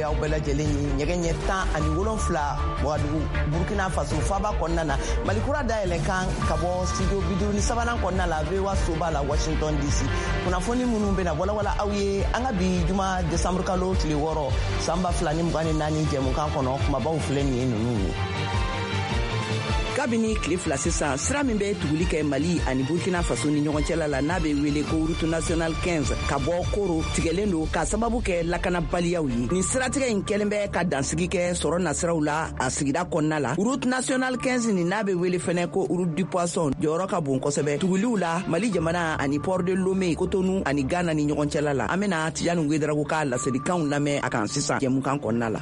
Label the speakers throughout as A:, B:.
A: aw bɛɛ lajɛlen ye ɲɛgɛ ɲɛ 17 Wagadugu, Burkina Faso faba kɔnɔna na. Mali Kura dayɛlɛ kan ka bɔ studio 53nan kɔnɔna la, VOA soba la, Washington DC. Kunnafoni minnu bɛna walawala aw ye an ka bi juma desanburu kalo tile 6 san 2024 jɛmukan kɔnɔ, kumabaw filɛ nin ye ninnu ye. Kabini tile 2 sisan, sira min bɛ tuguli kɛ Mali ani Burkina Faso ni ɲɔgɔn cɛla la, n'a bɛ wele ko route nationale 15, ka bɔ Koro, tigɛlen don k'a sababu kɛ lakanabaliyaw ye. Nin siratigɛ in kɛlen bɛ ka dansigi kɛ sɔrɔ nasiraw la a sigida kɔnɔna la. Route nationale 15 nin, n'a bɛ wele fɛnɛ ko route du poisson, jɔyɔrɔ ka bon kosɛbɛ tuguliw la Mali jamana ani port de Lomé, Kotonu ani Ghana ni ɲɔgɔn cɛla la. An bena Tijani Wedarago ka laselikanw lamɛn a kan sisan jɛmukan kɔnɔna la.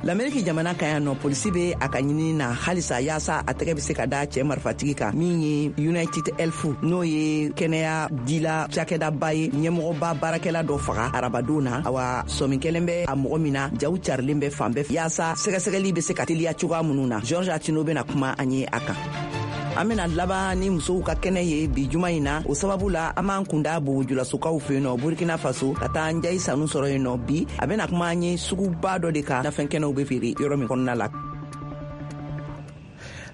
A: Lameriki jamana kan yan nɔ, polisi be a ka ɲinini na halisa yaasa a tɛgɛ be se ka da cɛɛ marifatigi kan min ye United Health, n'o ye kɛnɛya dila cakɛdaba ye, ɲɛmɔgɔba baarakɛla dɔ faga arabadon na. Awa, sɔmi kɛlen bɛ a mɔgɔ min na, jaw carilen bɛ fan bɛɛ yaasa sɛgɛsɛgɛli be se ka teliya cogoya minnu na. George Atino bena kuma an ye a kan. An bena laban ni musow ka kɛnɛ ye bi juma in na. O sababu la, an b'an kunda Bobojulasokaw fɛ yen nɔ, Burkina Faso, ka taa Njayi Sanu sɔrɔ yen nɔ. Bi, a bena kuma an ye suguba dɔ de kan, nafɛn kɛnɛw be feere yɔrɔ min kɔnɔna la.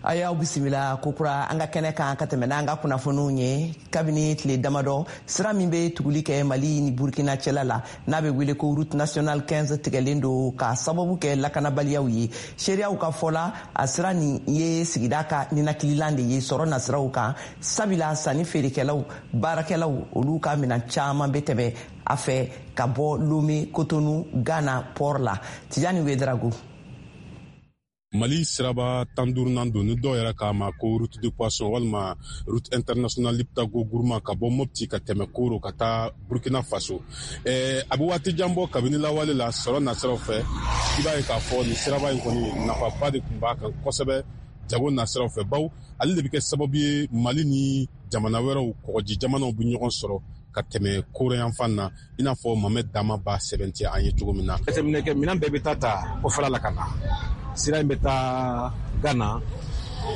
A: A y'aw bisimila kokura an ka kɛnɛ kan ka tɛmɛ n'an ka kunnafoniw ye. Kabini tile damadɔ, sira min bɛ tuguli kɛ Mali ni Burkina cɛla la, n'a bɛ wele ko route nationale 15, tigɛlen don k'a sababu kɛ lakanabaliyaw ye. Seereyaw ka fɔ la, a sira nin ye sigida ka ninakililan de ye sɔrɔ nasiraw kan, sabila sanni feerekɛlaw, baarakɛlaw, olu ka minan caman bɛ tɛmɛ a fɛ ka bɔ Lome, Kotonu, Ghana port la. Tijani Wedarago.
B: Mali siraba 15nan don, ni dɔw yɛrɛ k'a ma ko route de poisson walima route internationale Liptako Gourma, ka bɔ Mopti ka tɛmɛ Koro ka taa Burkina Faso. A bɛ waati jan bɔ kabini lawale la sɔrɔ nasiraw fɛ. I b'a ye k'a fɔ nin siraba in kɔni, nafaba de tun b'a kan kosɛbɛ jago nasiraw fɛ, baw ale de bɛ kɛ sababu ye Mali ni jamana wɛrɛw, kɔgɔji jamanaw bɛ ɲɔgɔn sɔrɔ ka tɛmɛ Koro yanfan na, i n'a fɔ Mamɛd Dama b'a sɛbɛntiya an ye cogo min na.
C: Jateminɛ kɛ, minɛn bɛɛ bɛ taa ta kɔfɛla la ka na. Sira in bɛ taa Gana,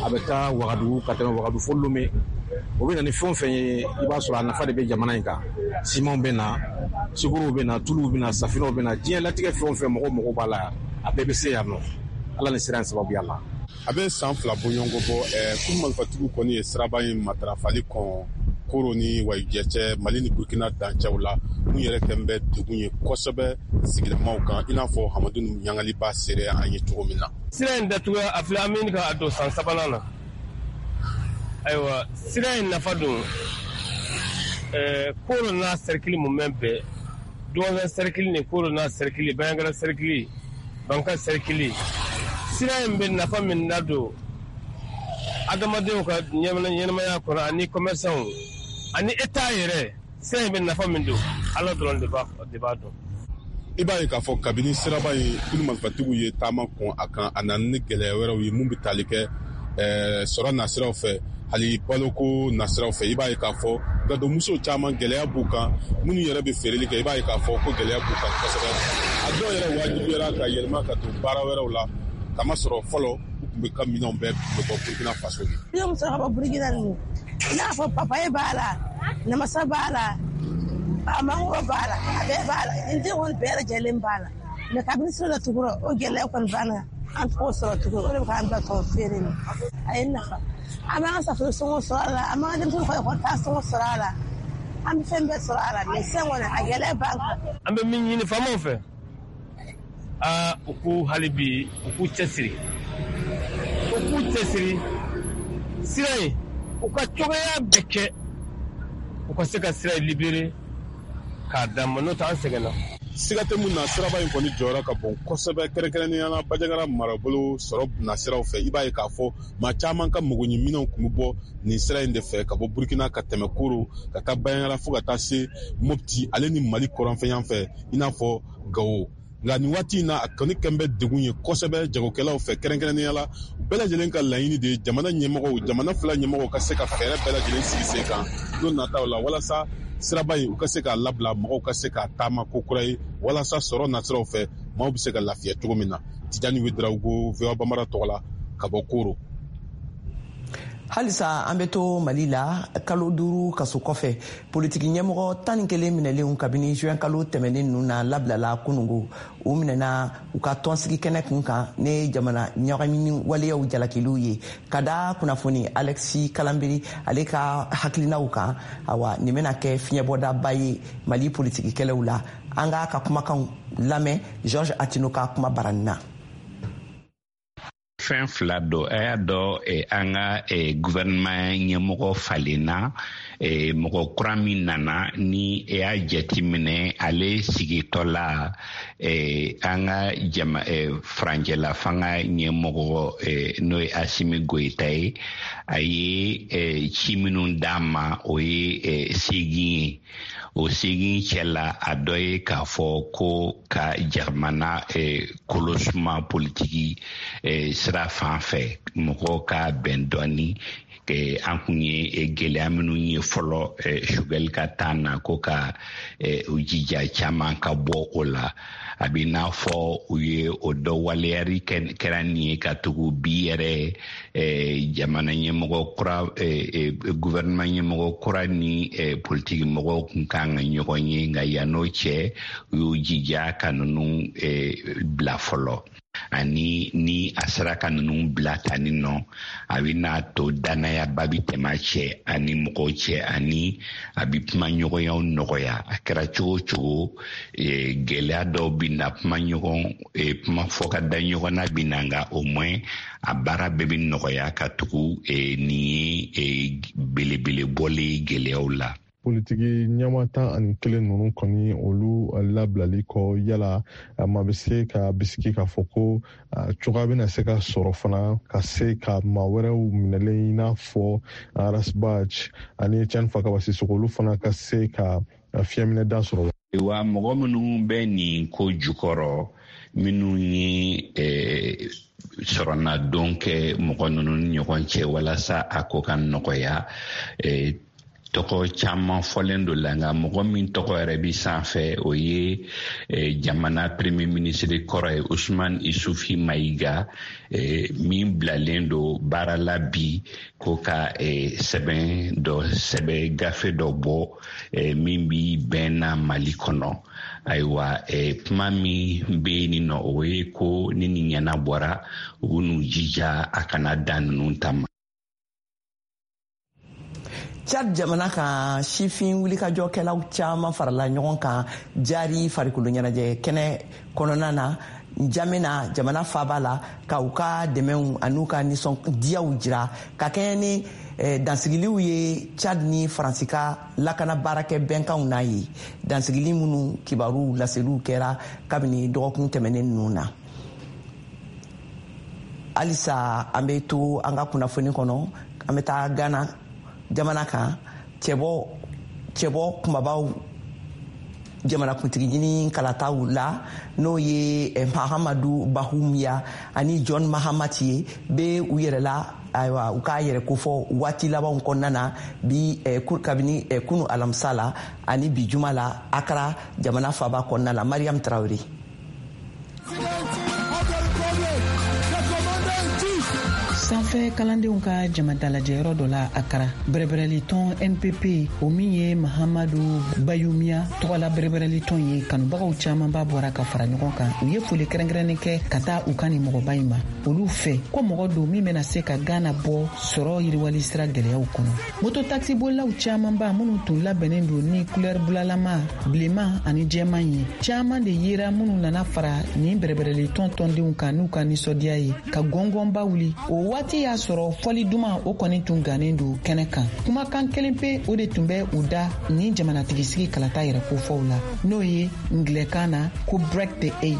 C: a bɛ taa Wagadugu, ka tɛmɛ Wagadugu fo Lome. O bɛ na ni fɛn o fɛn ye, i b'a sɔrɔ a nafa de bɛ jamana in kan. Simanw bɛ na, sukorow bɛ na, tuluw bɛ na, safinɛw bɛ na, diɲɛ latigɛ fɛn o fɛn mɔgɔw mago b'a la, a bɛɛ bɛ se yan nɔ, Ala ni sira in sababuya la.
B: A bɛ san 2 bɔɲɔgɔnko bɔ, kulu marifatigiw kɔni ye siraba in matarafali kɔn Koro ni Wayijɛ cɛ, Mali ni Burkina dancɛw la, mun yɛrɛ kɛn bɛ degun ye kosɛbɛ sigidamaw kan, i n'a fɔ Hamadu Ɲangali b'a seereya an ye cogo min na.
D: Sira in datuguya, a filɛ, an bɛ ka don san sabanan na. Ayiwa, sira in nafa don Koro n'a sɛrikili mumɛ bɛɛ, Duwanzan sɛrikili ni Koro n'a sɛrikili, Bandiagara sɛrikili, Banka sɛrikili, sira in bɛ nafa min ladon adamadenw ka ɲɛnamaya kɔnɔ ani commerçants ani État yɛrɛ, sira in bɛ nafa min don, Ala dɔrɔn de b'a dɔn.
B: I b'a ye k'a fɔ kabini siraba in kulu marifatigiw ye taama kɔn a kan, a nana ni gɛlɛya wɛrɛw ye mun bɛ tali kɛ sɔrɔ nasiraw fɛ, hali baloko nasiraw fɛ. I b'a ye k'a fɔ gadonmuso caman, gɛlɛya b'u kan. Minnu yɛrɛ bɛ feereli kɛ, i b'a ye k'a fɔ ko gɛlɛya b'u kan kosɛbɛ. A dɔw yɛrɛ wajibiyara ka yɛlɛma ka don baara wɛrɛw la, kamasɔrɔ fɔlɔ u tun bɛ ka minɛnw bɛɛ tun bɛ bɔ Burkina Faso de.
E: Ne muso ka bɔ Burkina ninnu, i n'a fɔ papaye b'a la, namasa b'a la, a mangoro b'a la, a bɛɛ b'a la, n den kɔni bɛɛ lajɛlen b'a la. Mɛ kabini sira datugura, o gɛlɛya kɔni banna, an t'o sɔrɔ tugun. O de bɛ k'an bila tɔn feere la. A ye nafa, an b'an ka safunɛ sɔngɔ sɔrɔ a la, an b'an ka denmisɛnninw ka ekɔli taa sɔngɔ sɔrɔ a la, an bɛ fɛn bɛɛ sɔrɔ a la. Mɛ sisan kɔni, a gɛlɛya b'an kan.
D: An bɛ min ɲini faamaw fɛ, aa, u k'u hali bi u k'u cɛsiri, u k'u cɛsiri sira in, u ka cogoya bɛɛ kɛ u ka se ka sira in libérer k'a d'an ma, n'o tɛ an sɛgɛnna.
B: Siga tɛ mun na, siraba in kɔni jɔyɔrɔ ka bon kosɛbɛ, kɛrɛnkɛrɛnnenya la Bandiagara marabolo sɔrɔ nasiraw fɛ. I b'a ye k'a fɔ maa caman ka magoɲɛminɛnw tun bɛ bɔ nin sira in de fɛ, ka bɔ Burkina ka tɛmɛ Koro ka taa Bandiagara fo ka taa se Mopti ale ni Mali kɔrɔnfɛyan fɛ, i n'a fɔ Gawo. Nka nin waati in na, a kɔni kɛn bɛ degun ye kosɛbɛ jagokɛlaw fɛ, kɛrɛnkɛrɛnnenya la u bɛɛ lajɛlen ka laɲini de ye jamana ɲɛmɔgɔw, jamana fila ɲɛmɔgɔw ka se ka fɛɛrɛ bɛɛ lajɛlen sigi sen kan don nataw la, walasa siraba in u ka se k'a labila, mɔgɔw ka se k'a taama ko kura ye, walasa sɔrɔ nasiraw fɛ maaw bɛ se ka lafiya cogo min na. Tijani Wedarawogo, VOA Bambara tɔgɔ la, ka bɔ Koro.
A: Halisa an bɛ to Mali la. Kalo 5 kaso kɔfɛ, politiki ɲɛmɔgɔ 11 minɛlenw kabini juin kalo tɛmɛnen ninnu na labilala kunungo. U minɛna u ka tɔnsigi kɛnɛ kun kan ne jamana ɲagamini waleyaw jalakiliw ye ka da kunnafoni Alexis Kalanbiri ale ka hakilinaw kan. Awa, nin bɛna kɛ fiɲɛbɔdaba ye Mali politiki kɛlɛw la. An k'a ka kumakanw lamɛn Georges Attino ka kuma barani na.
F: Fɛn fila don. A y'a dɔn, an ka gouvernement ɲɛmɔgɔ falenna. Mɔgɔ kura min nana ni e y'a jateminɛ, ale sigitɔ la, an ka jama furancɛla fanga ɲɛmɔgɔ, n'o ye Assimi Goïta ye, a ye ci minnu d'a ma, o ye 8 ye. O 8 cɛla, a dɔ ye k'a fɔ ko ka jamana kolosuma politiki sira fan fɛ, mɔgɔw ka bɛn dɔɔni. An kun ye gɛlɛya minnu ye fɔlɔ Choguel ka taa na, ko ka u jija caman ka bɔ o la. A bɛ n'a fɔ u ye o dɔ waleyari kɛra nin ye, ka tugu bi yɛrɛ jamana ɲɛmɔgɔ kura, gouvernement ɲɛmɔgɔ kura ni politiki mɔgɔw kun kan ka ɲɔgɔn ye. Nka yann'o cɛ, u y'u jija ka ninnu bila fɔlɔ. Ani ni a sera ka ninnu bila tani nɔ, a bɛ n'a to danayaba bi tɛmɛ a cɛ ani mɔgɔw cɛ, ani a bɛ kuma ɲɔgɔnyaw nɔgɔya. A kɛra cogo o cogo, gɛlɛya dɔw bɛ na, kuma ɲɔgɔn kuma fɔ ka da ɲɔgɔn na bɛ na, nka au moins a baara bɛɛ bɛ nɔgɔya, ka tugu nin ye belebele bɔlen gɛlɛyaw la.
B: Politiki ɲɛma 11 ninnu kɔni, olu labilali kɔ, yala maa bɛ se ka bisigi k'a fɔ ko cogoya bɛna se ka sɔrɔ fana ka se ka maa wɛrɛw minɛlen, i n'a fɔ Ras Bath ani Etienne Fakaba Sisoko, olu fana ka se ka fiɲɛminɛ da sɔrɔ?
F: Wa mɔgɔ minnu bɛ nin ko jukɔrɔ, minnu ye sɔrɔnadon kɛ mɔgɔ ninnu ni ɲɔgɔn cɛ walasa a ko ka nɔgɔya, tɔgɔ caman fɔlen do la. Nka mɔgɔ min tɔgɔ yɛrɛ bi sanfɛ, o ye jamana premier ministre kɔrɔ ye, Ousmane Isufi Mayiga, min bilalen do baara la bi ko ka sɛbɛn dɔ sɛbɛn, gafe dɔ bɔ min bi bɛn na Mali kɔnɔ. Ayiwa, kuma min bɛ yen nɔ, o ye ko ni nin ɲɛnabɔra, u b'u jija a kana dan ninnu ta ma.
A: Chad jamana kan, sifin wulikajɔkɛlaw caman farala ɲɔgɔn kan jari farikolo ɲɛnajɛ kɛnɛ kɔnɔna na Jamena, jamana faba la, ka u ka dɛmɛw an'u ka nisɔndiyaw jira ka kɛɲɛ ni dansigiliw ye Chad ni Faransi ka lakana baarakɛ bɛnkanw n'a ye, dansigili minnu kibaru laseliw kɛra kabini dɔgɔkun tɛmɛnen ninnu na. Halisa an bɛ to an ka kunnafoni kɔnɔ. An bɛ taa Ghana jamana kan. Cɛbɔ kumabaw jamanakuntigi ɲini kalataw la, n'o ye Mahamadu Bawumia ani John Mahamati ye, bɛ u yɛrɛ la. Ayiwa, u k'a yɛrɛ kofɔ waati labanw kɔnɔna na bi, kabini kunu alamisa la ani bi juma la, Akara jamana faba kɔnɔna la. Mariam Tarawele.
G: Sanfɛ kalandenw ka jamadalajɛyɔrɔ dɔ la Akara, bɛrɛbɛrɛlitɔn NPP, o min ye Mahamadu Bawumia tɔgɔla bɛrɛbɛrɛlitɔn ye, kanubagaw camanba bɔra ka fara ɲɔgɔn kan. U ye foli kɛrɛnkɛrɛnnen kɛ ka taa u ka nin mɔgɔba in ma. Olu fɛ ko mɔgɔ don min bɛna se ka Gana bɔ sɔrɔ yiriwali sira gɛlɛyaw kɔnɔ. Moto takisibolilaw camanba minnu tun labɛnnen don ni kulɛri bulalama, bilenman ani jɛman ye, caman de yera minnu nana fara nin bɛrɛbɛrɛlitɔn tɔndenw kan n'u ka nisɔndiya ye ka gɔngɔnba wuli. O waati y'a sɔrɔ fɔli duman o kɔni tun gannen don kɛnɛ kan. Kumakan kelen pe o de tun bɛ u da nin jamanatigisigi kalata yɛrɛ kofɔw la, n'o ye ngilɛkan na ko "Break the eight",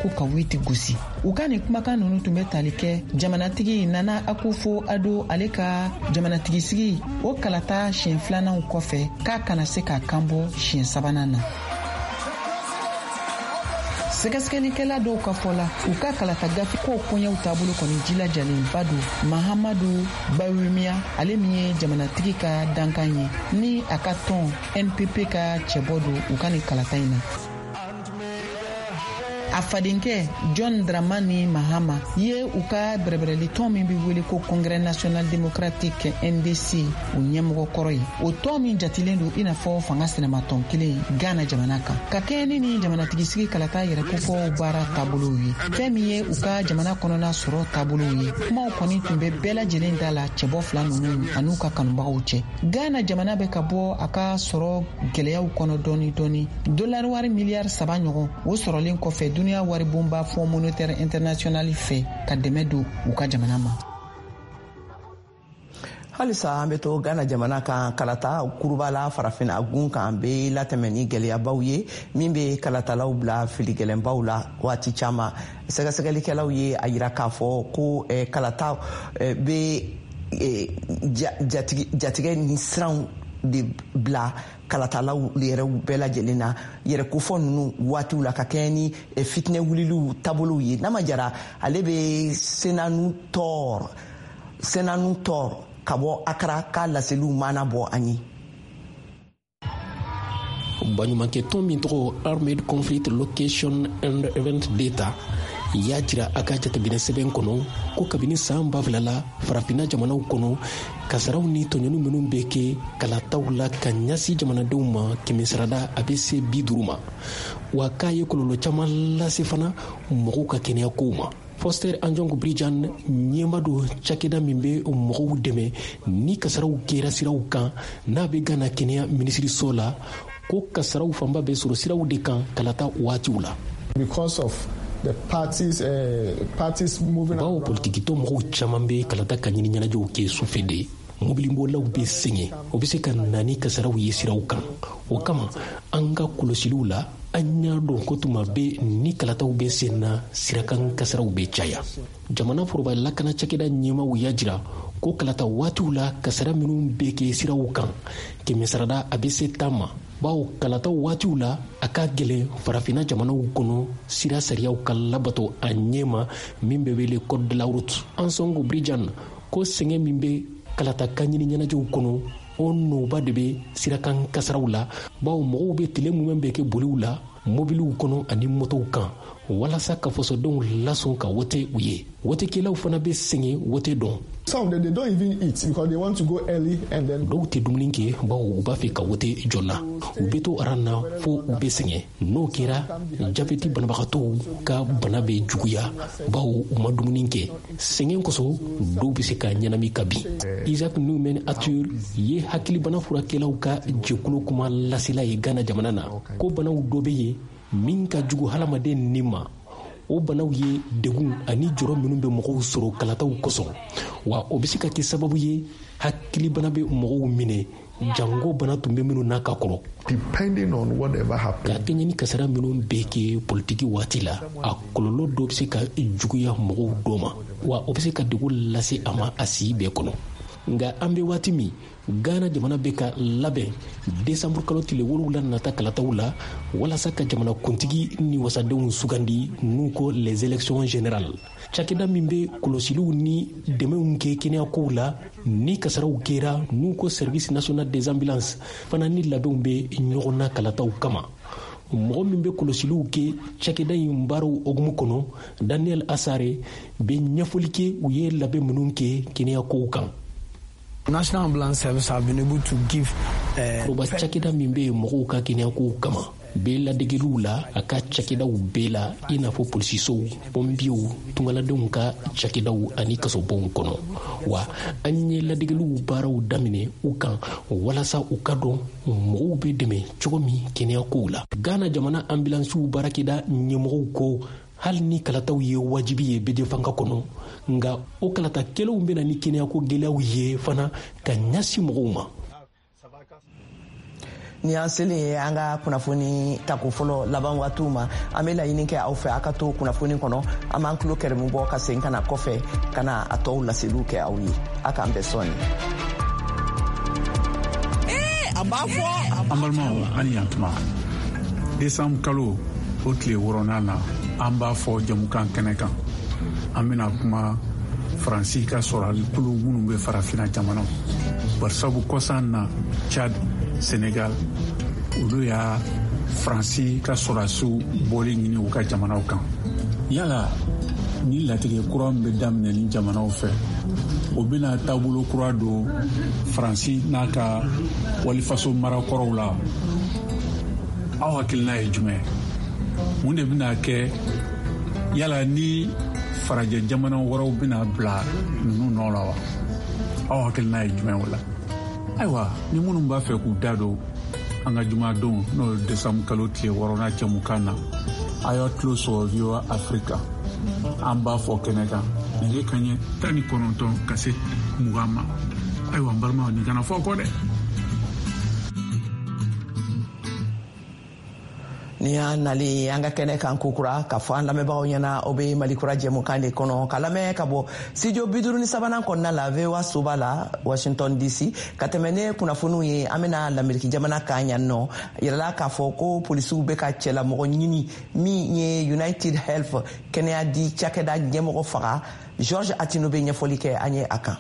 G: ko ka huit gosi. U ka nin kumakan nunu tun bɛ tali kɛ jamanatigi Nana Akufo Addo ale ka jamanatigisigi o kalata siɲɛ filananw kɔfɛ, k'a kana se k'a kan bɔ siɲɛ sabanan na. Sɛgɛsɛgɛlikɛla dɔw ka fɔ la, u ka kalata gafe kow koɲɛw taabolo kɔni jilajalenba don. Mahamadu Bawumia, ale min ye jamanatigi ka dankan ye ni a ka tɔn NPP ka cɛbɔ don u ka nin kalata in na. A fadenkɛ John Dramani Mahama ye u ka bɛrɛbɛrɛlitɔn min bɛ wele ko Congrès national démocratique NDC o ɲɛmɔgɔ kɔrɔ ye, o tɔn min jatilen don i n'a fɔ fanga sinamatɔn kelen Ghana jamana kan, ka kɛɲɛ ni nin jamanatigisigi kalata yɛrɛ kofɔw baara taabolow ye, fɛn min ye u ka jamana kɔnɔna sɔrɔ taabolow ye. Kumaw kɔni tun bɛ bɛɛ lajɛlen da la cɛbɔ fila ninnu an'u ka kanubagaw cɛ. Ghana jamana bɛ ka bɔ a ka sɔrɔ gɛlɛyaw kɔnɔ dɔɔni dɔɔni, dolari wari miliyari 3 ɲɔgɔn o sɔrɔlen kɔfɛ duniya waribonba Fonds monétaire international fɛ ka dɛmɛ don u ka jamana ma.
A: Halisa an bɛ to Ghana jamana kan. Kalata kuruba la Farafinna gun kan bɛ latɛmɛ ni gɛlɛyabaw ye min bɛ kalatalaw bila fili gɛlɛnbaw la waati caman. Sɛgɛsɛgɛlikɛlaw ye a yira k'a fɔ ko kalata bɛ jatigɛ ni siranw de bila kalatalaw yɛrɛw bɛɛ lajɛlen na yɛrɛ kofɔ ninnu waatiw la, ka kɛɲɛ ni fitinɛ wuliliw taabolow ye. Nama Jara, ale bɛ Senanu Tɔr ka bɔ Akara k'a laseliw mana bɔ an ye.
H: Baɲumankɛ tɔn min tɔgɔ Armed Conflict Location and Event Data y'a jira a ka jateminɛ sɛbɛn kɔnɔ ko kabini saan 2000 la, Farafinna jamanaw kɔnɔ, kasaraw ni tɔɲɔni minw bɛ kɛ kalataw la ka ɲɛsin jamanadenw ma, kɛmɛsarada a bɛ se 50 ma, wa k'a ye kɔlɔlɔ caman lase fana mɔgɔw ka kɛnɛya kow ma. Foster Anjong Brijan, ɲɛma don cakɛda min bɛ mɔgɔw dɛmɛ ni kasaraw kɛra siraw kan, n'a bɛ Gana kɛnɛya minisiriso la, ko kasaraw fanba bɛ sɔrɔ siraw de kan kalata waatiw la.
I: Because of the parties moving.
H: Bawo politikitɔ mɔgɔw caman bɛ kalata ka ɲini ɲɛnajɛw kɛ sufɛ de, mobilibolilaw bɛ sɛgɛn, o bɛ se ka na ni kasaraw ye siraw kan. O kama, an ka kɔlɔsiliw la, an y'a dɔn ko tuma bɛ ni kalataw bɛ sen na, sirakan kasaraw bɛ caya. Jamana foroba lakana cakɛda ɲɛmaw y'a jira ko kalata waatiw la, kasara minw bɛ kɛ siraw kan, kɛmɛsarada a bɛ se 10 ma, bawo kalataw waatiw la, a ka gɛlɛn Farafinna jamanaw kɔnɔ sira sariyaw ka labato a ɲɛma, min bɛ wele code de la route. Ansongo Brijan ko sɛgɛn min bɛ kalata ka ɲini ɲɛnajɛw kɔnɔ, o nɔba de bɛ sirakan kasaraw la, bawo mɔgɔw bɛ tile mumɛ bɛ kɛ boliw la mobiliw kɔnɔ ani motow kan walasa ka fasodenw lasɔn ka wote u ye. Wotekɛlaw fana bɛ sɛgɛn wote dɔn.
I: Some of them, they don't even eat because they want to go early and then.
H: Dɔw tɛ dumuni kɛ, bawo u b'a fɛ ka wote joona. U bɛ to aran na fo u bɛ sɛgɛn. N'o kɛra, jabɛti banabagatɔw ka bana bɛ juguya, bawo u ma dumuni kɛ. Sɛgɛn kosɔn, dɔw bɛ se ka ɲɛnami ka bin. Isaac Newman Arthur ye hakilibana furakɛlaw ka jɛkulu kuma lasela ye Ghana jamana na, ko banaw dɔ bɛ yen min ka jugu hadamaden ni ma. O banaw ye degun ani jɔrɔ minnu bɛ mɔgɔw sɔrɔ kalataw kosɔn, wa o bɛ se ka kɛ sababu ye hakilibana bɛ mɔgɔw minɛ, jango bana tun bɛ minnu n'a ka kɔrɔ. Ka kɛɲɛ ni kasara minnu bɛ kɛ politiki waati la, a kɔlɔlɔ dɔ bɛ se ka juguya mɔgɔw dɔ ma, wa o bɛ se ka degun lase a ma a si bɛɛ kɔnɔ. Nka an bɛ waati min, Ghana jamana bɛ ka labɛn desanburu kalo tile 7 nata kalataw la walasa ka jamana kuntigi ni wasadenw sugandi, n'u ko les élections générales. Cakɛda min bɛ kɔlɔsiliw ni dɛmɛw kɛ kɛnɛyakow la ni kasaraw kɛra, n'u ko Service national des ambulances fana, ni labɛnw bɛ ɲɔgɔn na kalataw kama. Mɔgɔ min bɛ kɔlɔsiliw kɛ cakɛda in baaraw hukumu kɔnɔ, Daniel Asare, bɛ ɲɛfɔli kɛ u ye labɛn minnu kɛ kɛnɛyakow kan.
J: National Ambulance Service have been able to give
H: Foroba cakɛda min bɛ yen mɔgɔw ka kɛnɛyakow kama bɛ ladegeliw la a ka cakɛdaw bɛɛ la, i n'a fɔ polisisow, pɔnpiyew, tungaladenw ka cakɛdaw ani kasobonw kɔnɔ. Wa an ye ladegeliw baaraw daminɛ u kan walasa u ka dɔn mɔgɔw bɛ dɛmɛ cogo min kɛnɛyakow la. Ghana jamana ambulansiw baarakɛda ɲɛmɔgɔw ko hali ni kalataw ye wajibi ye bɛɛ fanga kɔnɔ, nka o kalata kɛlenw bɛna ni kɛnɛyako gɛlɛyaw ye fana ka ɲɛsin mɔgɔw ma.
A: Ni an selen ye an ka kunnafoni tako fɔlɔ laban waatiw ma, an bɛ laɲini kɛ aw fɛ, a ka to kunnafoni kɔnɔ. An b'an tulo kɛrɛmu bɔ ka segin ka na kɔfɛ ka na a tɔw laseliw kɛ aw ye. A k'an bɛn sɔɔni.
K: A b'a fɔ.
L: An balimaw, ani yantuma. Desanburu kalo o tile 6nan na, an b'a fɔ jamukan kɛnɛ kan, an bena kuma Faransi ka sɔrɔalikulu minnu bɛ Farafina jamanaw, barisabu kɔsan na Chad, Senegal, olu y'a Faransi ka sɔrɔdasiw bɔli ɲini u ka jamanaw kan. Yala ni latigɛ kura min bɛ daminɛ ni jamanaw fɛ, o bɛna taabolo kura don Faransi n'a ka walifaso marakɔrɔw la? Aw hakilina ye jumɛn? Mun de bɛna kɛ? Yala ni farajɛ jamana wɛrɛw bɛna bila ninnu nɔ la wa? Aw hakilina ye jumɛn o la? Ayiwa, ni minnu b'a fɛ k'u da don an ka jumadon, n'o ye desanburu kalo tile 6nan jɛmukan na, a y'a tulo sɔgɔ VOA Afrika, an b'a fɔ kɛnɛ kan nɛgɛ kaɲɛ 19 ka se 20 ma. Ayiwa, n balimaw, nin kana fɔ kɔ dɛ.
A: Ni y'an nalen an ka kɛnɛ kan kokura k'a fɔ an lamɛnbagaw ɲɛna, aw bɛ Mali Kura jɛmukan de kɔnɔ ka lamɛn ka bɔ studio 53nan kɔnɔna la, VOA soba la, Washington DC. Ka tɛmɛ ne kunnafoniw ye, an bɛna Lameriki jamana kan yan nɔ. Yirala k'a fɔ ko polisiw bɛ ka cɛlamɔgɔ ɲini min ye United Health kɛnɛya di cakɛda ɲɛmɔgɔ faga. George Atino bɛ ɲɛfɔli kɛ an ye a kan.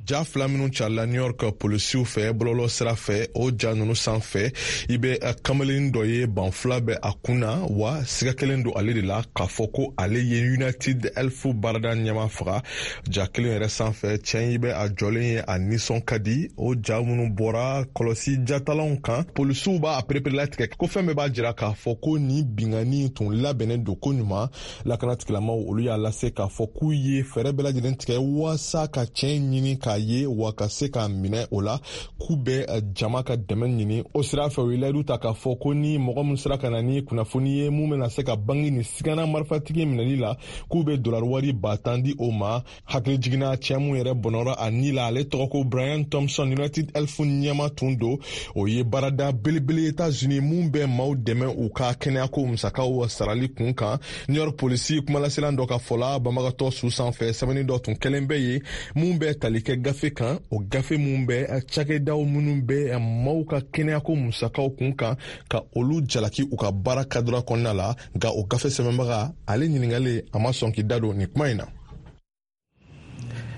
B: Ja fila minnu carila New York polisiw fɛ bɔlɔlɔ sira fɛ, o ja nunu sanfɛ, i bɛ kamalen dɔ ye, ban fila bɛ a kun na wa siga kelen don ale de la k'a fɔ ko ale ye United Health baarada ɲɛma faga. Ja kelen yɛrɛ sanfɛ, cɛ i bɛ a jɔlen ye, a nisɔn ka di. O ja minnu bɔra kɔlɔsi jatalanw kan, polisiw b'a pereperelatigɛ ko fɛn bɛɛ b'a jira k'a fɔ ko nin binkanni tun labɛnnen don ko ɲuman. Lakana tigilamaw, olu y'a lase k'a fɔ k'u ye fɛɛrɛ bɛɛ lajɛlen tigɛ waasa ka cɛn ɲini k'a ye wa ka se k'a minɛ. O la, k'u bɛ jama ka dɛmɛ ɲini o sira fɛ. U ye layidu ta k'a fɔ ko ni mɔgɔ min sera ka na ni kunnafoni ye mun bɛna se ka bange nin sigana marifatigi minɛli la, k'u bɛ dolari wari 10,000 di o ma. Hakili jiginna, cɛ mun yɛrɛ bɔnɔra a ni la, ale tɔgɔ ko Brian Thompson, United Health ɲɛma tun don. O ye baarada belebele Etats-Unis mun bɛ maaw dɛmɛ u ka kɛnɛyako musakaw sarali kun kan. New York polisi kumalaselan dɔ ka fɔ la, banbagatɔ su sanfɛ, sɛbɛnni dɔ tun kɛlen bɛ ye mun bɛ tali kɛ gafe kan. O gafe mun bɛ cakɛdaw minnu bɛ maaw ka kɛnɛyako musakaw kun kan, ka olu jalaki u ka baara kadira kɔnɔna la. Nka o gafe sɛbɛnbaga, ale ɲiningalen, a ma sɔn k'i da don nin kuma in na.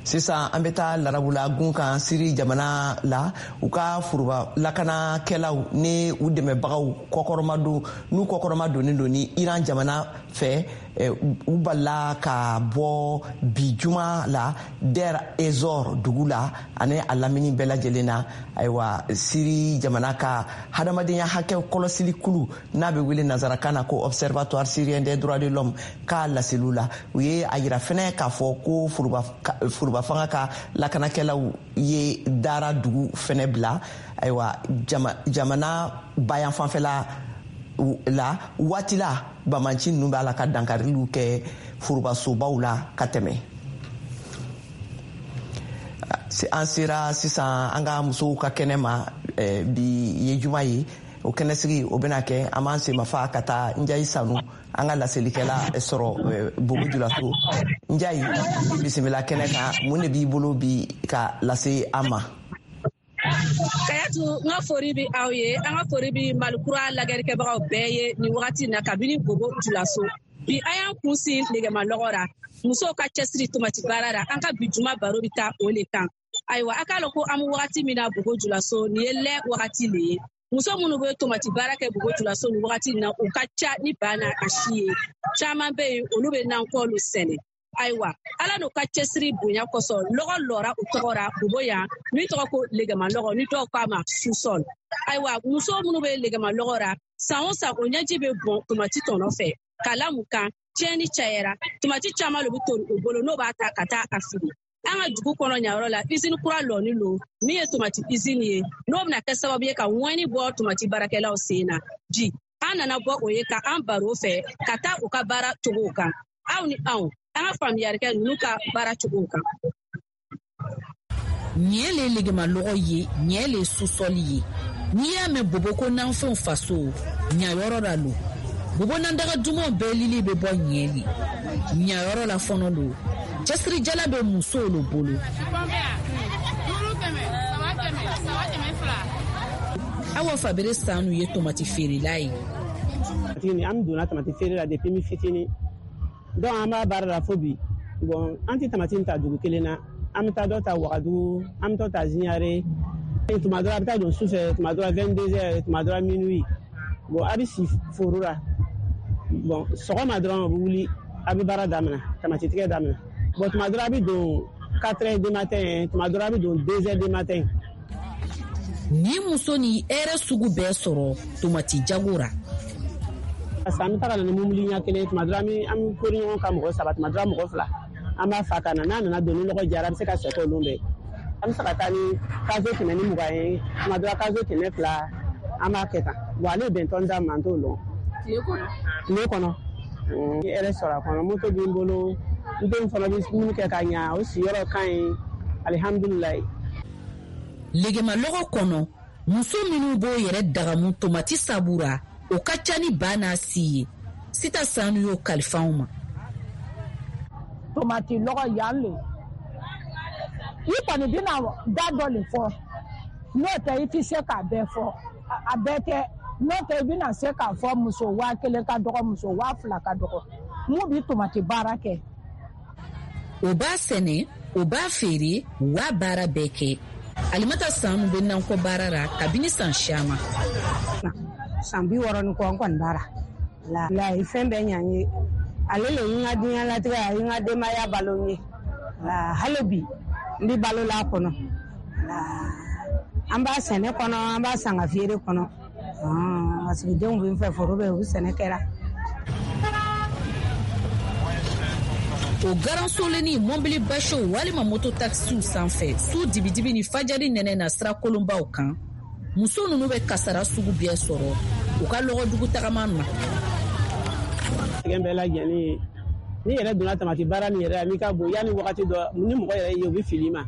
A: Sisan an bɛ taa Larabula gun kan, Siri jamana la. U ka foroba lakanakɛlaw ni u dɛmɛbagaw kɔkɔrɔmadon, n'u kɔkɔrɔma donnen don ni Iran jamana fɛ, u balila ka bɔ bi juma la Der Ezor dugu la ani a lamini bɛɛ lajɛlen na. Ayiwa, Siri jamana ka hadamadenya hakɛ kɔlɔsili kulu, n'a bɛ wele nanzarakan na ko Observatoire syrien des droits de l'homme, k'a laseliw la, u ye a yira fɛnɛ k'a fɔ ko foroba fanga ka lakanakɛlaw ye Dara dugu fɛnɛ bila, ayiwa, jamana bayan fanfɛla la. Waati la bamanci ninnu b'a la ka dankariliw kɛ forobasobaw la ka tɛmɛ. An sera sisan an ka musow ka kɛnɛ ma. Bi ye juma ye, o kɛnɛsigi o bɛna kɛ, an b'an senmafa ka taa Njayi Sanu, an ka laselikɛla sɔrɔ Bobo Julaso. Njayi, bisimila kɛnɛ kan. Mun de b'i bolo bi ka lase an ma?
M: Kayatu, n ka fori bi aw ye. An ka fori bi Malikura lagɛrikɛbagaw bɛɛ ye nin wagati na kabini Bobo Julaso. Bi an y'an kun sin lɛgɛmalɔgɔ ra, musow ka cɛsiri tomati baara ra. An ka bi juma baro bi taa o le kan. Ayiwa, a k'a lɔn ko an be wagati min na Bobo Julaso, nin ye lɛ wagati le ye. Muso minnu bɛ tomati baara kɛ Bobo Julaso nin wagati na, u ka ca ni ba n'a a si ye. Caman bɛ yen, olu bɛ nankɔlu sɛnɛ. Ayiwa, Ala n'u ka cɛsiri bonya kosɔn, lɔgɔ lɔra u tɔgɔ ra Bobo yan min tɔgɔ ko lɛgɛmalɔgɔ, ni dɔw k'a ma sous-sol. Ayiwa, muso minnu bɛ lɛgɛmalɔgɔ ra, san o san o ɲɛji bɛ bɔn tomati tɔnɔ fɛ ka la mun kan tiɲɛni cayara. Tomati caman le bɛ tori u bolo, n'o b'a ta ka taa a fili. An ka dugu kɔnɔ ɲayɔrɔ la, usine kura lɔni lo min ye tomati usine ye, n'o bɛna kɛ sababu ye ka ŋɔni bɔ tomati baarakɛlaw sen na. Bi an nana bɔ o ye ka an baro fɛ ka taa u ka baara cogow kan. Aw ni anw, an ka faamuyali kɛ ninnu ka baara cogow kan.
N: Ɲɛ le legemalɔgɔ ye, ɲɛ le sous-sol ye. N'i y'a mɛn Bobo ko nanfɛnw faso, ɲayɔrɔ la lo. Bobo nandaga dumanw bɛɛ lili bɛ bɔ ɲɛ le. Ɲayɔrɔ la fɔnɔ lo, cɛsirijala bɛ musow lo bolo. Awa Fabere Sanu ye tomati feerela ye.
O: An donna tamati feere la depuis mi fitinin, donc an b'a baara la fo bi. Bon, an tɛ tamati ta dugu kelen na, an bɛ taa dɔ ta Wagadugu, an bɛ dɔ ta Ziyare, Tuma dɔ la a bɛ taa don su fɛ, tuma dɔ la 22 heures, tuma dɔ la minuit. Bon, a bɛ si foro la. Bon, sɔgɔma dɔrɔn a bɛ wuli, a bɛ baara daminɛ, tamati tigɛ daminɛ. Bon, tuma dɔ la a bɛ don 4 heures du matin, tuma dɔ la a bɛ don 2 heures du matin.
N: Ni muso ni hɛrɛ sugu bɛɛ sɔrɔ tomati jago ra.
O: Parce que an bɛ taga na ni mobili ɲɛ kelen, tuma dɔ la an bɛ kori ɲɔgɔn kan mɔgɔ 3, tuma dɔ la mɔgɔ 2. An b'a fa ka na, n'a nana don ni lɔgɔ jara, a bɛ se ka sɛgɛ olu bɛɛ. An bɛ se ka taa ni kazo 120 ye, tuma dɔ la kazo 200, an b'a kɛ tan. Bon, ale bɛn tɔn d'a ma, an t'o lɔn.
M: Tile kɔnɔ?
O: Tile kɔnɔ. N ye hɛrɛ sɔrɔ a kɔnɔ, moto bɛ n bolo, n denw fana bɛ dumuni kɛ ka ɲa, o siyɔrɔ ka ɲi, alihamudulilayi.
N: Legemalɔgɔ kɔnɔ, muso minnu b'o yɛrɛ dagamu tomati sabu ra, o ka ca ni ba n'a si ye. Sita Sanu y'o kalifa anw ma.
P: Tomati lɔgɔ yan le, i kɔni bɛna da dɔ le fɔ, n'o tɛ i tɛ se k'a bɛɛ fɔ, a bɛɛ tɛ, n'o tɛ i bɛna se k'a fɔ muso 1000 ka dɔgɔ, muso 2000 ka dɔgɔ, mun bɛ tomati baara kɛ.
N: O b'a sɛnɛ, o b'a feere, u b'a baara bɛɛ kɛ. Alimata Sanu bɛ nankɔ baara la kabini san siyaman.
Q: San 60 ni kɔ n kɔni baara. La fɛn bɛɛ ɲa n ye. Ale le ye n ka diɲɛlatigɛ, a ye n ka denbaya balo n ye. Hali bi n bɛ balo la a kɔnɔ. An b'a sɛnɛ kɔnɔ, an b'a san ka feere kɔnɔ. Parce que denw bɛ n fɛ, foro bɛ yen, u bɛ sɛnɛ kɛra.
N: O garansolenni mɔbili basiw walima moto takisiw sanfɛ su dibidibi ni fajari nɛnɛ na sira kolonbaw kan, muso ninnu bɛ kasara sugu bɛɛ sɔrɔ u ka lɔgɔdugu tagama na.
O: Sɛgɛn bɛɛ lajɛlen ye, n'i yɛrɛ donna tamati baara nin yɛrɛ la, n'i ka bon yanni wagati dɔ ni mɔgɔ yɛrɛ ye, u bɛ fili i ma.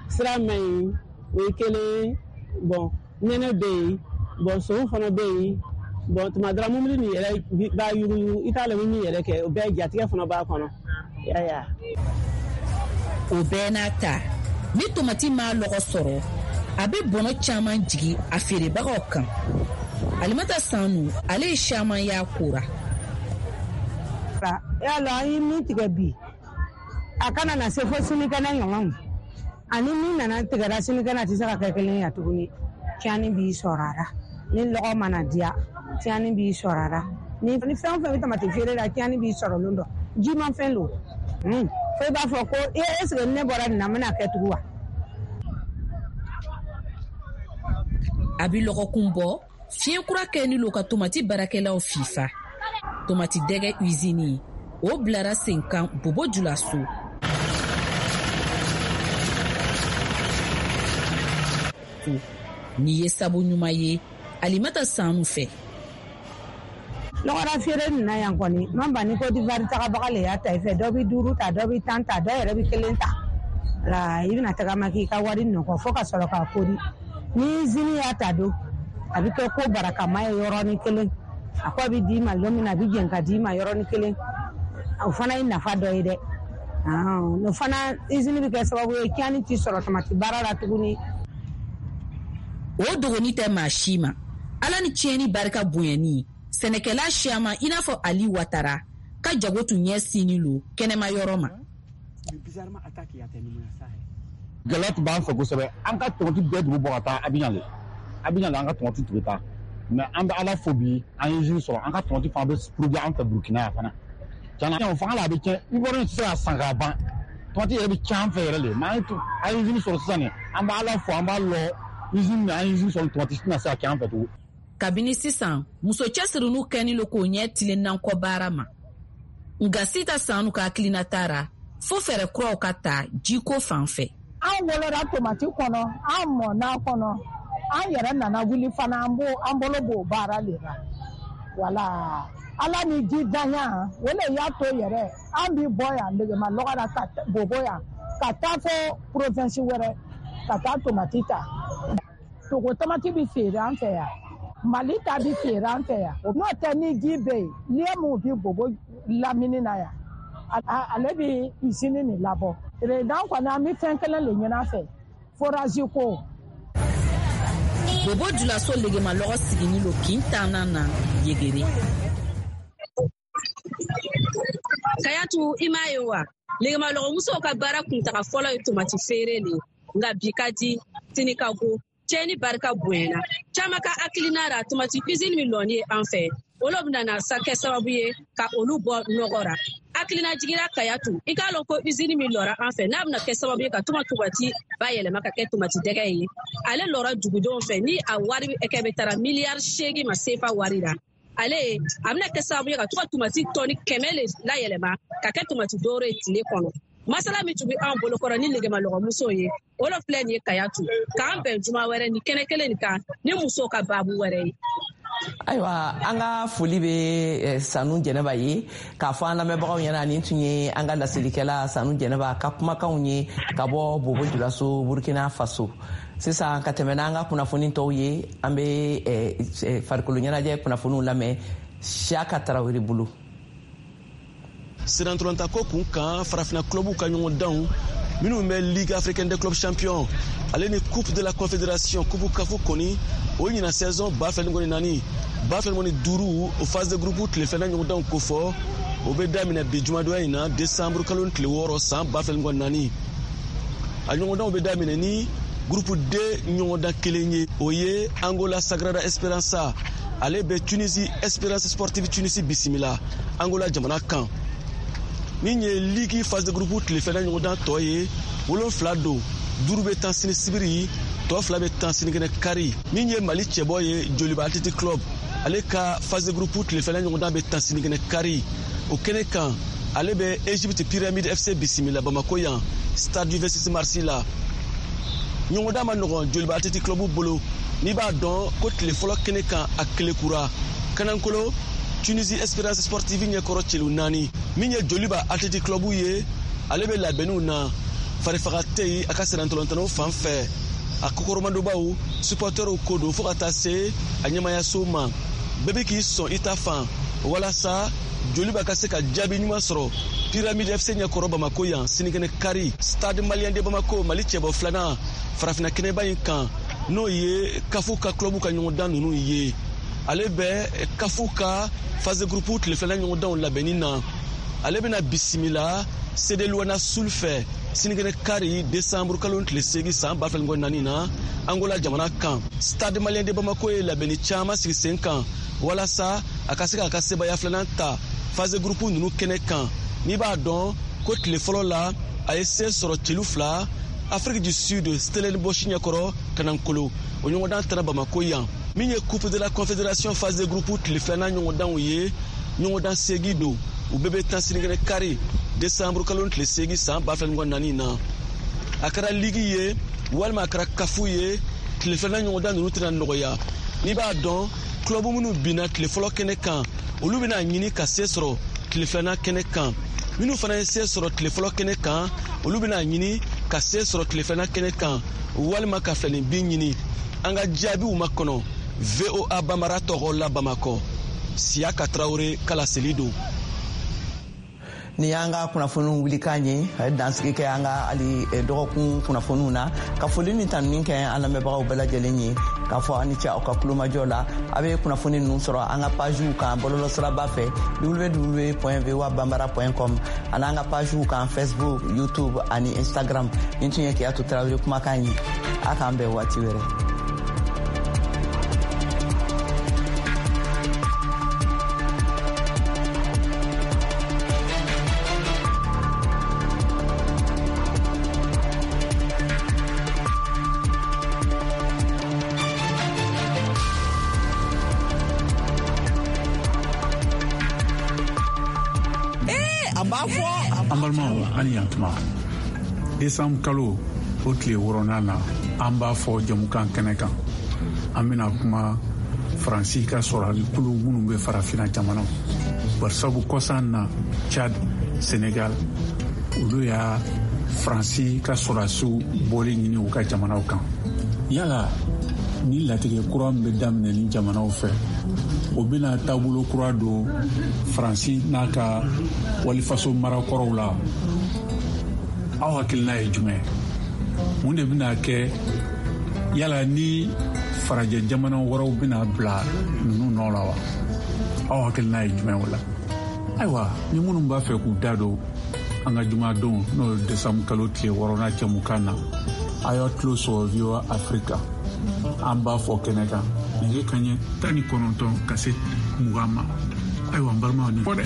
O: Sira man ɲi, o ye kelen. Bon, nɛnɛ bɛ yen, bon, sow fana bɛ yen. Bon, tuma dɔ la mobili nin yɛrɛ b'a yuguyugu, i t'a lɔn min yɛrɛ kɛ, o bɛɛ jatigɛ fana b'a kɔnɔ. Yaya.
N: O bɛɛ n'a ta, ni tomati m'a lɔgɔ sɔrɔ, a bɛ bɔnɔ caman jigi a feerebagaw kan. Alimata Sanu, ale ye siyaman y'a kora.
Q: Yala an ye min tigɛ bi, a kana na se fo sinikɛnɛ ɲɔgɔn. Ani min nana tigɛra sinikɛnɛ, a tɛ se ka kɛ kelen ye tuguni. Tiɲɛni b'i sɔrɔ a la. Ni lɔgɔ mana diya, tiɲɛni b'i sɔrɔ a la. Ni fɛn o fɛn bɛ tamati feere la, tiɲɛni b'i sɔrɔ lon dɔ. Jimafɛn don. Fo i b'a fɔ ko est ce que ne bɔra nin na, n bɛna kɛ tugun wa?
N: A bɛ lɔgɔkun bɔ, fiɲɛ kura kɛni lo ka tomati baarakɛlaw fifa. Tomati dɛgɛ usini, o bilara sen kan Bobo Julaso. Nin ye sabu ɲuman ye Alimata Sanu fɛ.
Q: Lɔgɔra feere nin na yan kɔni, man ban ni Côte d'Ivoire tagabaga le y'a ta i fɛ, dɔ bɛ 5 ta, dɔ bɛ 10 ta, dɔ yɛrɛ bɛ 1 ta. La i bɛna tagama k'i ka wari nɔgɔ fo ka sɔrɔ k'a kori. Ni usine y'a ta don, a bɛ kɛ ko barakama ye yɔrɔnin kelen. A ko a bɛ d'i ma don min na, a bɛ jɛn ka d'i ma yɔrɔnin kelen. O fana ye nafa dɔ ye dɛ. O fana usine bɛ kɛ sababu ye tiɲɛni tɛ sɔrɔ tamati baara la tuguni.
N: O dogoni tɛ maa si ma. Ala ni tiɲɛni barika bonyani, sɛnɛkɛla siyaman i n'a fɔ Ali Watara ka jago tun ɲɛsinni lo kɛnɛma yɔrɔ ma.
R: Gɛlɛya tun b'an fɛ kosɛbɛ. An ka tomati bɛɛ tun bɛ bɔ ka taa Abidjan de. Abidjan de an ka tomati tun bɛ taa. Mais an bɛ Ala fo bi, an ye usine sɔrɔ, an ka tomati fana bɛ produit an fɛ Burukina yan fana. Tiɲɛna, o fanga la a bɛ tiɲɛ. Ivoirien tɛ se ka san k'a ban. Tomati yɛrɛ bɛ tiɲɛ an fɛ yɛrɛ de. Mais an ye usine sɔrɔ sisan nin, an bɛ Ala fo, an b'a lɔ usine an ye usine sɔrɔ, tomati tɛna se ka kɛ an fɛ tugun.
N: Kabini sisan, muso cɛsirinu kɛni lo k'o ɲɛ tilen nankɔ baara ma. Nka Sita Sanu ka hakilina taara fo fɛɛrɛ kuraw ka ta jiko fan fɛ.
P: An wolora tomati kɔnɔ, an mɔna kɔnɔ, an yɛrɛ nana wuli fana, an bolo b'o baara le la. Wala Ala ni ji danya, o le y'a to yɛrɛ an bi bɔ yan Legema lɔgɔ la ka Bobo yan ka taa fo province wɛrɛ ka taa tomati ta. Togo tomati bi feere an fɛ yan, Mali ta bi feere an fɛ yan. N'o tɛ ni ji bɛ yen, n'i ye mun bi Bobo lamini na yan, ale bi usine nin labɔ. Président kɔni, an bɛ fɛn kelen le ɲini a fɛ, forage ko.
N: Bobo Julaso Legema lɔgɔ sigini lo kin tannan na Yegere.
M: Kayatu, i m'a ye wa? Legemalɔgɔmusow ka baara kuntaga fɔlɔ ye tomati feere le, nka bi ka di, sini ka go. Tiɲɛni barika bonyana. Caman ka hakilina ra tomati usine min lɔni ye an fɛ, o lo bɛna na sa kɛ sababu ye ka olu bɔ nɔgɔ ra. Hakilina jigira Kayatu, i k'a lɔn ko usine min lɔra an fɛ, n'a bɛna kɛ sababu ye ka to ka tomati bayɛlɛma ka kɛ tomati dɛgɛ ye, ale lɔra dugudenw fɛ ni a wari kɛ bɛ taara miliyari 8 ma sefa wari la. Ale a bɛna kɛ sababu ye ka to ka tomati tɔni 100 le layɛlɛma ka kɛ tomati dɔwɛrɛ ye tile kɔnɔ. Masala min tun bɛ an bolokɔrɔ ni nɛgɛmalɔgɔmuso ye, o lo filɛ nin ye Kayatu. K'an bɛn juma wɛrɛ ni kɛnɛ kelen nin kan ni musow ka baabu wɛrɛ ye.
K: Ayiwa, an ka foli bɛ Sanu Jɛnɛba ye k'a fɔ an lamɛnbagaw ɲɛna nin tun ye an ka laselikɛla Sanu Jɛnɛba ka kumakanw ye ka bɔ Bobo Julaso, Burkina Faso. Sisan ka tɛmɛ n'an ka kunnafoni tɔw ye, an bɛ farikolo ɲɛnajɛ kunnafoniw lamɛn Siyaka Tarawele bolo.
S: Sirantolantako kun kan, farafina clubw ka ɲɔgɔndanw minnu bɛ Ligue africaine des clubs champions ale ni Coupe de la Confédération, Coupe CAF kɔni, o ɲina saison 2024 2025 o phase de groupe tile filanan ɲɔgɔndanw kofɔ, o bɛ daminɛ bi jumadonya in na, décembre kalo tile 6 san 2024. A ɲɔgɔndanw bɛ daminɛ ni groupe D ɲɔgɔndan kelen ye, o ye Angola Sagrada Esperança, ale bɛ Tunisie Esperance Sportive Tunisie bisimila Angola jamana kan. Min ye ligue phase de groupe tile filanan ɲɔgɔndan tɔ ye, 7 don, 5 bɛ tan sini sibiri, tɔ 2 bɛ tan sinikɛnɛ kari. Min ye Mali cɛbɔ ye Joliba Athletic Club, ale ka phase de groupe tile filanan ɲɔgɔndan bɛ tan sinikɛnɛ kari. O kɛnɛ kan, ale bɛ Egypte Pyramide FC bisimila Bamako yan, stade du 26 mars la. Ɲɔgɔndan ma nɔgɔn Joliba Athletic Club bolo, n'i b'a dɔn ko tile fɔlɔ kɛnɛ kan a kelekura Kanankolo Tunisie Esperance Sportive ɲɛkɔrɔ celu 4. Min ye Joliba Athletic Club ye, ale bɛ labɛnniw na, farifaga tɛ yen a ka sirantolantanaw fan fɛ, a kɔkɔrɔmadonbaw supportɛrw ko don fo ka taa se a ɲɛmayaso ma. Bɛɛ bɛ k'i sɔn i ta fan walasa Joliba ka se ka jaabi ɲuman sɔrɔ Pyramide FC ɲɛkɔrɔ Bamako yan sinikɛnɛ kari, Stade Malien de Bamako, Mali cɛbɔ filanan farafinna kɛnɛba in kan, n'o ye CAF ka club ka ɲɔgɔndan ninnu ye. Ale bɛ CAF ka phase de groupe tile filanan ɲɔgɔndanw labɛnni na. Ale bɛna bisimila CD Luana Sul fɛ sinikɛnɛ kari, décembre kalo tile 8 san 2024 na, Angola jamana kan. Stade Malien de Bamako ye labɛnni caman sigi sen kan walasa a ka se k'a ka sebaaya filanan ta phase de groupe ninnu kɛnɛ kan. N'i b'a dɔn ko tile fɔlɔ la a ye se sɔrɔ celu 2 Afrique du Sud Stellenbosch ɲɛkɔrɔ Kanankolo, o ɲɔgɔndan taara Bamako yan. Min ye Coupe de la Confédération phase de groupe tile filanan ɲɔgɔndanw ye, ɲɔgɔndan 8 don, u bɛɛ bɛ tan sinikɛnɛ kari, décembre kalo tile 8 san 2024 na. A kɛra ligue ye walima a kɛra CAF ye, tile filanan ɲɔgɔndan ninnu tɛna nɔgɔya. N'i b'a dɔn club minnu binna tile fɔlɔ kɛnɛ kan, olu bɛna ɲini ka se sɔrɔ tile filanan kɛnɛ kan. Minnu fana ye se sɔrɔ tile fɔlɔ kɛnɛ kan, olu bɛna ɲini ka se sɔrɔ tile filanan kɛnɛ kan walima ka filanin bin ɲini. An ka jaabiw makɔnɔ VOA Bambara tɔgɔ la Bamakɔ, Siyaka Tarawele kalaseli don.
K: Ni y'an ka kunnafoniw wulikan ye, a ye dansigi kɛ an ka hali dɔgɔkun kunnafoniw na, ka foli ni tanuni kɛ an lamɛnbagaw bɛɛ lajɛlen ye, k'a fɔ aw ni ce aw ka kulomajɔ la. A bɛ kunnafoni ninnu sɔrɔ an ka pagew kan bɔlɔlɔsiraba fɛ, www.voabambara.com, ani an ka pagew kan Facebook, YouTube ani Instagram. Nin tun ye Keyatu Tarawele kumakan ye. A k'an bɛn waati wɛrɛ.
L: An balimaw, ani yantuma. Décembre kalo o tile 6nan na, an b'a fɔ jɛmukan kɛnɛ kan, an bɛna kuma Faransi ka sɔrɔlikulu minnu bɛ farafinna jamanaw, barisabu kɔsan na Tchad, Sénégal, olu y'a Faransi ka sɔrɔdasiw bɔli ɲini u ka jamanaw kan. Yala ni latigɛ kura min bɛ daminɛ ni jamanaw fɛ, o bɛna taabolo kura don Faransi n'a ka walifaso marakɔrɔw la, aw hakilina ye jumɛn? Mun de bɛna kɛ? Yala ni farajɛ jamana wɛrɛw bɛna bila ninnu nɔ la wa? Aw hakilina ye jumɛn o la? Ayiwa, ni minnu b'a fɛ k'u da don an ka jumadon, n'o ye décembre kalo tile 6nan jɛmukan na, a y'aw tulo sɔgɔ VOA Africa. An b'a fɔ kɛnɛ kan, nɛgɛ kaɲɛ 19 ka se 20 ma. Ayiwa, n balimaw, nin fɔ dɛ.